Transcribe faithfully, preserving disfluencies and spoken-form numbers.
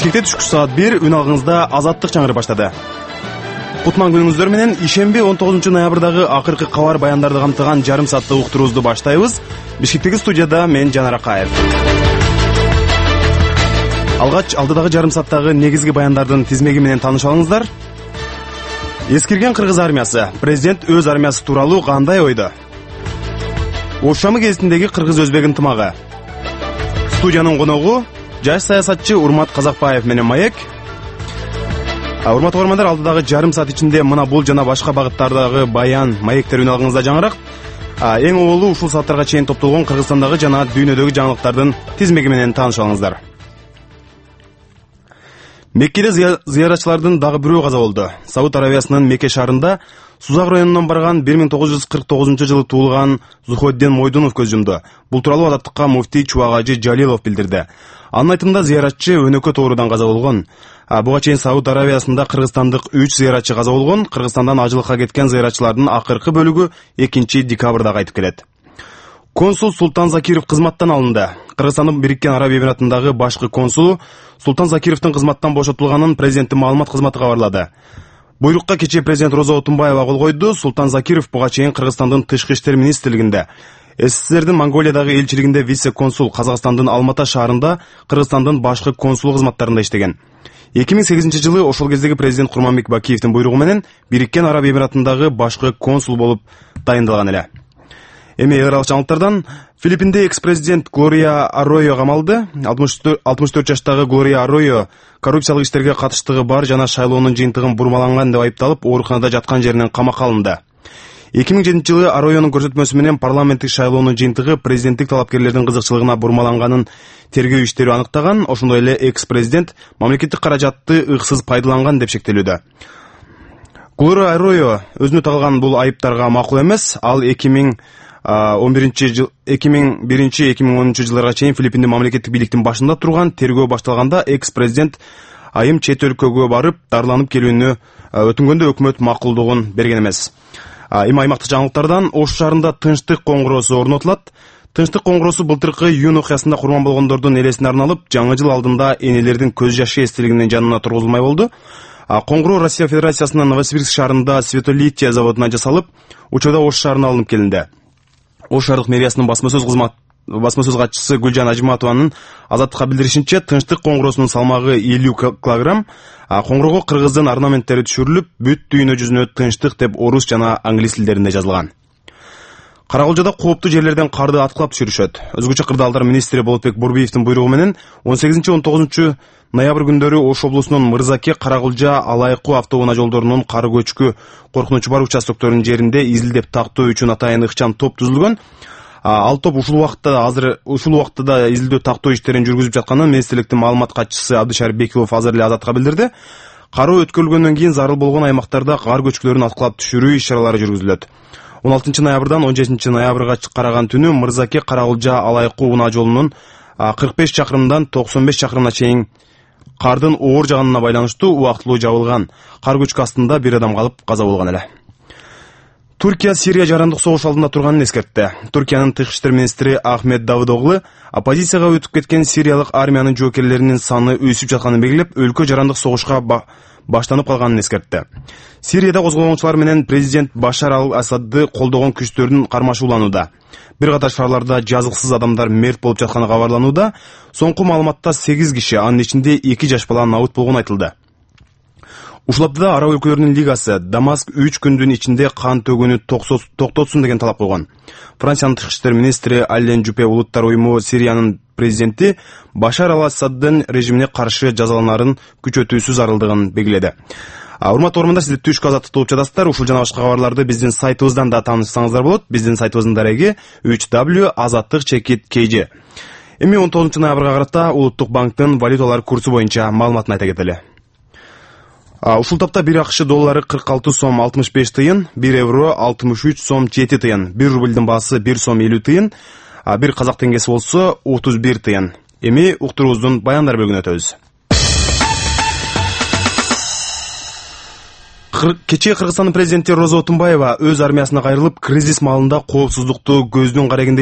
Бишкекте түшкү саат бир үн алгыңызда азаттык чаңыры баштады. Кутман күнүңүздөр менен ишемби он тогузунчу ноябрдагы акыркы кабар баяндарды камтыган жарым сааттык уктуруубузду баштайбыз. Бишкектеги студияда мен Жанар Акаев. Алгач алдыдагы жарым сааттагы негизги баяндардын тизмеги менен тааныша алыңыздар. Эскирген кыргыз армиясы. Президент өз армиясы тууралуу кандай ойдо? Ош шамы кезиндеги кыргыз-өзбек ынтымагы. Студиянын коногу жаш саясатчы Урмат Казакбаев менен маек. Урматтуу көрөрмандар, алдыдагы жарым саат ичинде мына бул жана башка багыттардагы баян, маектер үн алгыңызда жаңыраак. Эң оболу ушул сааттарга чейин топтолгон Кыргызстандагы жана дүйнөдөгү жаңылыктардын тизмеги менен тааныша алыңыздар. Меккеде зыяратчылардын дагы бирөө каза болду. Сауд Аравиясынын Мекке шаарында Сузак районунан барган бир миң тогуз жүз кырк тогузунчу жылы туулган Зуходдин Мойдунов көз жумду. Бул тууралуу Азаттыкка муфтий Чубак Жалилов билдирди. Анын айтымында зыяратчы өнөкөт оорудан каза болгон. Буга чейин Сауд Аравиясында кыргызстандык үч зыяратчы каза болгон. Кыргызстандан ажылыкка кеткен зыяратчылардын акыркы бөлүгү экинчи декабрда кайтып келет. Консул Султан Закиров кызматтан алынды. Кыргызстандын Бириккен Араб Эмиратындагы башкы консулу Султан Закировдун кызматтан бошотулганын президенттин маалымат кызматы кабарлады. Буйрукка кечээ президент Роза Отунбаева кол койду. Султан Закиров буга чейин Кыргызстандын тышкы иштер министрлигинде, СССРдин Монголиядагы элчилигинде вице-консул, Казакстандын Алмата шаарында Кыргызстандын башкы консулу кызматтарында иштеген. эки миң сегизинчи жылы ошол кездеги президент Курманбек Бакиевдин буйругу менен Бириккен Араб Эмиратындагы башкы консул болуп дайындалган эле. Эми эл аралык жаңылыктардан Филиппинде экс-президент Глория Арройо камалды. алтымыш төрт жаштагы Глория Арройо коррупциялык иштерге катыштыгы бар жана шайлоонун жыйынтыгын бурмаланган деп айыпталып, ооруканада жаткан жеринен камакка алынды. эки миң жетинчи жылы Арройонун көрсөтмөсү менен парламенттик шайлоонун жыйынтыгы президенттик талапкерлердин кызыкчылыгына бурмаланганын тергөө иштери аныктаган. Ошондой эле экс-президент мамлекеттик каражатты ыксыз пайдаланган деп шектелүүдө. Глория Арройо өзүнө тагылган бул айыптарга макул эмес. Ал эки миң он биринчи жыл эки миң биринчи эки миң онунчу жылдарга чейин Филиппиндин мамлекеттик бийликтин башында турган. Тергөө башталганда экс-президент айым чет өлкөгө барып дарыланып келүүнү өтүнгөндө өкмөт макулдугун берген эмес. Эми аймактык жаңылыктардан Ош шаарында тынчтык коңгуроосу орнотулат. Тынчтык коңгуроосу былтыркы июнь окуясында курман болгондордун элесине арналып, жаңы жыл алдында энелердин көз жашы эстелигинин жанына тургузулмай болду. Коңгуроо Россия Федерациясынын Новосибирск шаарында Светолития заводуна жасалып, учурда Ош шаарына алынып келинди. Ош шаардык мэриясынын басма-сөз кызмат басма-сөз катчысы Гүлжан Ажиматованын Азаттыкка билдиришинче, тынчтык коңгуроосунун салмагы элүү килограмм. Коңгуроого кыргыздын орнаменттери түшүрүлүп, бүт дүйнө жүзүнө тынчтык деп орус жана англис тилдеринде жазылган. Карагулжада кооптуу жерлерден карды аткылап түшүрүшөт. Өзгөчө кырдаалдар министри Болотбек Бурбиевдин буйругу менен он сегизинчи он тогузунчу ноябрь күндөрү Ош облусунун Мырзаке, Карагулжа, Алайкуу автоунаа жолдорунун кар көчкү коркунучу бар участокторунун жеринде изилдеп тактоо үчүн атайын ыкчам топ түзүлгөн. Ал топ ушул убакытта азыр ушул убакытта да изилдөө тактоо иштерин жүргүзүп жатканын министрликтин маалымат катчысы Абдышарып Бекилов азыр эле Азатка билдирди. Кароо өткөрүлгөндөн кийин зарыл болгон аймактарда кар көчкүлөрүн аткылап түшүрүү иш-чаралары жүргүзүлөт. он алтынчы ноябрдан он жетинчи ноябрга караган түнү Мырзаке, Карагулжа, Алайкуу унаа жолунун кырк беш чакырымдан токсон беш чакырымына чейин кардын оор жаганына байланыштуу убактылуу жабылган. Кар көчкү астында бир адам калып каза болгон эле. Туркия Сирия жарандык согуш алдында турганын эскертти. Туркиянын тышкы иштер министри Ахмед Давыдоглу оппозицияга өтүп кеткен сириялык армиянын жоокерлеринин саны өсүп жатканын белгилеп, өлкө жарандык согушка баштанып калганын эскертти. Сирияда козголгончулар менен президент Башар ал-Асадды колдогон күчтөрдүн кармашууланууда. Бир катар шаарларда жазыксыз адамдар мерт болуп жатканы кабарланууда. Соңку маалыматта сегиз киши, анын ичинде эки жаш бала набыт болгону айтылды. Ушул аптада Араб өлкөлөрүнүн лигасы Дамаск үч күндүн ичинде кан төгүүнү токтотсун деген талап койгон. Франциянын тышкы иштер министри Ален Жупе улуттар уюму Сириянын президенти Башар ал-Асаддын режимине каршы жазаланарын күчөтүүсү зарылдыгын белгиледи. Урматтуу көрөрмандар, сиздер түшкү азаттыкты угуп жатасыздар. Ушул жана башка кабарларды биздин сайтыбыздан да таанышсаңыздар болот. Биздин сайтыбыздын дареги үч w азаттык чекит kg. Эми он тогузунчу ноябрга карата Улуттук банктын валюталар курсу боюнча маалыматын айта кетели. Ушул тапта бир акш доллары кырк алты сом алтымыш беш тыйын, бир евро алтымыш үч сом жети тыйын, бир рубльдин баасы бир сом элүү тыйын, бир казак теңгеси болсо отуз бир тыйын. Эми уктуруубуздун баяндар бөлүгүнө өтөбүз. Кечээ Кыргызстандын президенти Роза Отунбаева өз армиясына кайрылып, кризис маалында коопсуздукту көздүн карегинде